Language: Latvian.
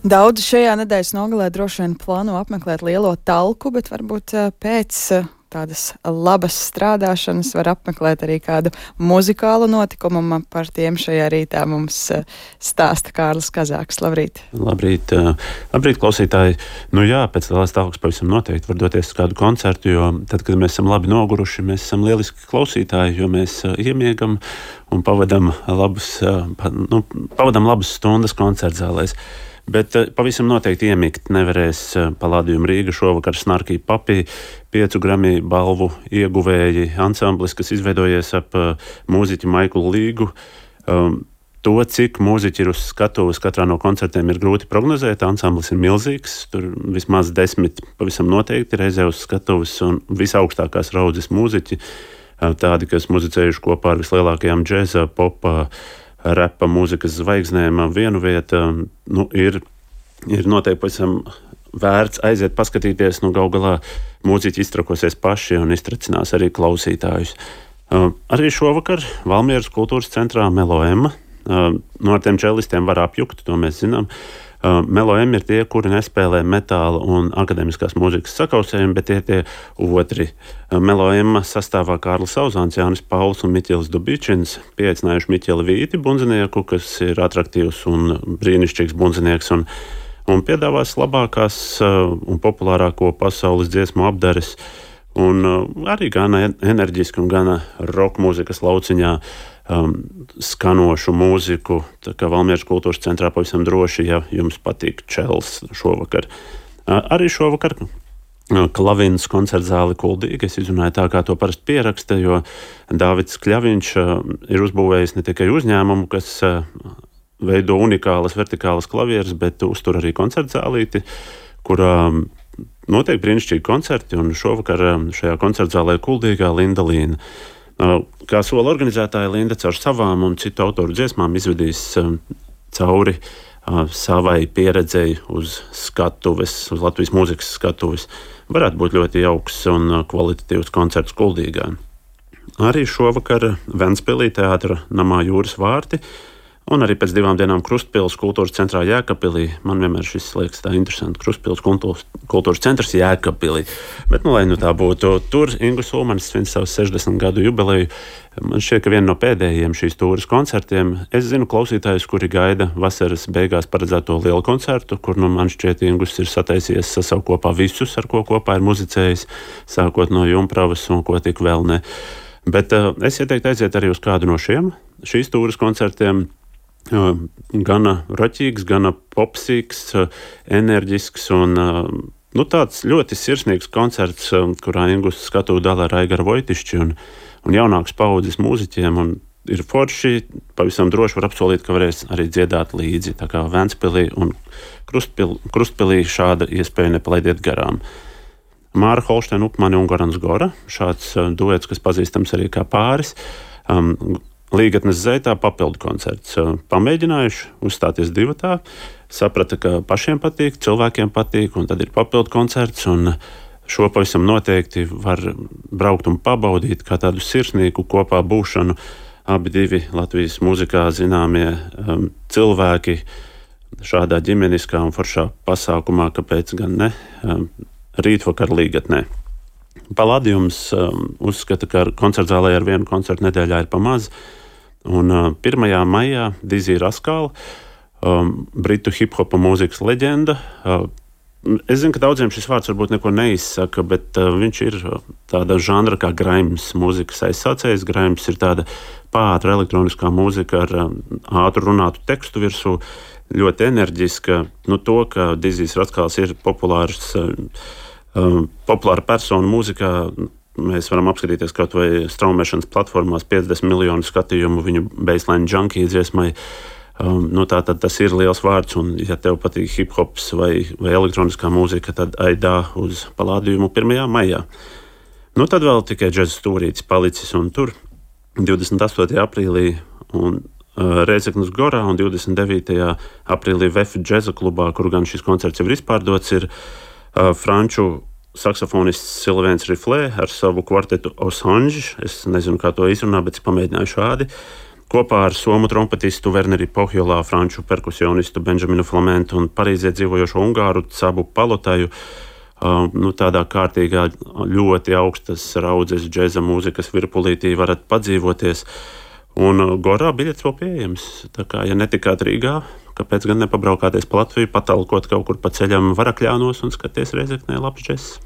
Daudzi šajā nedēļas nogalē droši vien plāno apmeklēt Lielo Talku, bet varbūt pēc tādas labas strādāšanas var apmeklēt arī kādu muzikālu notikumu. Par tiem šajā rītā mums stāsta Kārlis Kazāks. Labrīt! Labrīt, klausītāji! Nu jā, pēc Lielās Talkas pavisam noteikti var doties uz kādu koncertu, jo tad, kad mēs esam labi noguruši, mēs esam lieliski klausītāji, jo mēs iemiegam un pavadam labas stundas koncertzālēs. Bet pavisam noteikti iemigt nevarēs Palladium Rīga šovakar Snarky Puppy 5 Grammy balvu ieguvēji ansamblis, kas izveidojies ap mūziķi Maiklu Līgu. To, cik mūziķi ir uz skatuves katrā no koncertiem, ir grūti prognozēt. Ansamblis ir milzīgs, tur vismaz 10 pavisam noteikti reizē uz skatuves un visaugstākās raudzes mūziķi, tādi, kas muzicējuši kopā ar vislielākajām džēza, popa, repa mūzikas zvaigznēm vienu vietu, ir noteikti pavisam vērts aiziet paskatīties. Galu galā mūziķi iztrakosies paši un iztracinās arī klausītājus. Arī šovakar Valmieras kultūras centrā Melo-M. Ar tiem čellistiem var apjukt, to mēs zinām. Melo-M ir tie, kuri nespēlē metāla un akademiskās mūzikas sakausējumu, bet tie otri. Melo-M sastāvā Kārlis Sauzāns, Jānis Pauls un Miķelis Dubičins, pieaicinājuši Miķeli Vīti, bundzinieku, kas ir atraktīvs un brīnišķīgs bundzinieks, un piedāvās labākās un populārāko pasaules dziesmu apdares, un arī gana enerģiski un gana roka mūzikas lauciņā skanošu mūziku. Tā kā Valmieras kultūras centrā pavisam droši, ja jums patīk čels šovakar. Arī šovakar Klavins koncertzāli Kuldīga. Es izrunāju tā, kā to parasti pieraksta, jo Dāvids Kļaviņš ir uzbūvējis ne tikai uzņēmumu, kas veido unikālas vertikālas klavieres, bet uztur arī koncertzālīti, kurā notiek brīnišķīgi koncerti, un šovakar šajā koncertzālē Kuldīgā Linda Līna. Kā sola organizētāja, Linda caur savām un citu autoru dziesmām izvedīs cauri savai pieredzei uz skatuves, uz Latvijas mūzikas skatuves. Varētu būt ļoti jauks un kvalitatīvs koncerts Kuldīgā. Arī šovakar Ventspilī teātra namā Jūras vārti, un arī pēc 2 dienām Krustpils kultūras centrā Jēkabpilī. Man vienmēr šis liekas tā interesanti. Krustpils kultūras centrs Jēkabpilī. Bet, lai tā būtu, tur Ingus Ulmanis svin savu 60 gadu jubileju. Man šķiet, ka viena no pēdējiem šīs tūres koncertiem. Es zinu klausītājus, kuri gaida vasaras beigās paredzēto lielu koncertu, kur man šķiet Ingus ir sataisies sasaukt kopā visus, ar ko kopā ir muzicējis, sākot no Jumpravas un ko tik vēl ne. Bet es ieteiktu aiziet arī uz kādu no šīs tūres koncertiem. Gana roķīgs, gana popsīgs, enerģisks un tāds ļoti sirsnīgs koncerts, kurā Ingus skatuvi dala ar Aigaru Vojtišķi un jaunākas paudzes mūziķiem. Un ir forši, pavisam droši var apsolīt, ka varēs arī dziedāt līdzi. Tā kā Ventspilī un Krustpilī šāda iespēja nepalaidiet garām. Māra Holšteina Upmani un Gorans Gora, šāds duets, kas pazīstams arī kā pāris. Līgatnes Zeitā papildu koncerts. Pamēģinājuši uzstāties divatā, saprata, ka pašiem patīk, cilvēkiem patīk, un tad ir papildu koncerts, un šo pavisam noteikti var braukt un pabaudīt kā tādu sirsnīgu kopā būšanu. Abi divi Latvijas mūzikā zināmie cilvēki šādā ģimeniskā un foršā pasākumā, kāpēc gan ne, rītvakar Līgatnē. Palladiums uzskata, ka koncertzālē ar vienu koncertu nedēļā ir pamaz. Un 1. maijā Dizzy Rascal, britu hip-hopa mūzikas leģenda. Es zinu, ka daudziem šis vārds varbūt neko neizsaka, bet viņš ir tāda žanra kā graims mūzikas aizsācējs. Graims ir tāda pātra elektroniskā mūzika ar ātru runātu tekstu virsū, ļoti enerģiska. To, ka Dizzy Rascals ir populāra persona mūzikā, mēs varam apskatīties kaut vai straumēšanas platformās 50 miljonu skatījumu viņu Baseline Junkie dziesmai. Tātad tas ir liels vārds, un ja tev patīk hip-hops vai elektroniskā mūzika, tad aidā uz Palladiumu 1. maijā. Tad vēl tikai džeza stūrītis palicis, un tur 28. aprīlī un Rēzeknes Gorā un 29. aprīlī VF džeza klubā, kur gan šis koncerts jau ir izpārdots, ir franču saksofonists Sylvains Riflē ar savu kvartetu Osange. Es nezinu, kā to izrunā, bet es pamēģināju šādi. Kopā ar somu trompetistu Werneri Pohjolā, franču perkusionistu Benžaminu Flamentu un Parīzē dzīvojošo ungāru Cabu Palotaju, tādā kārtīgā, ļoti augstas raudzes džēza mūzikas virpulītī varat padzīvoties. Un Gorā biļets vēl pieejams. Tā kā, ja netikāt Rīgā, kāpēc gan nepabraukāties pa Latviju, patalkot kaut kur pa ceļam Varakļānos un skaties Rēzeknē labs džess.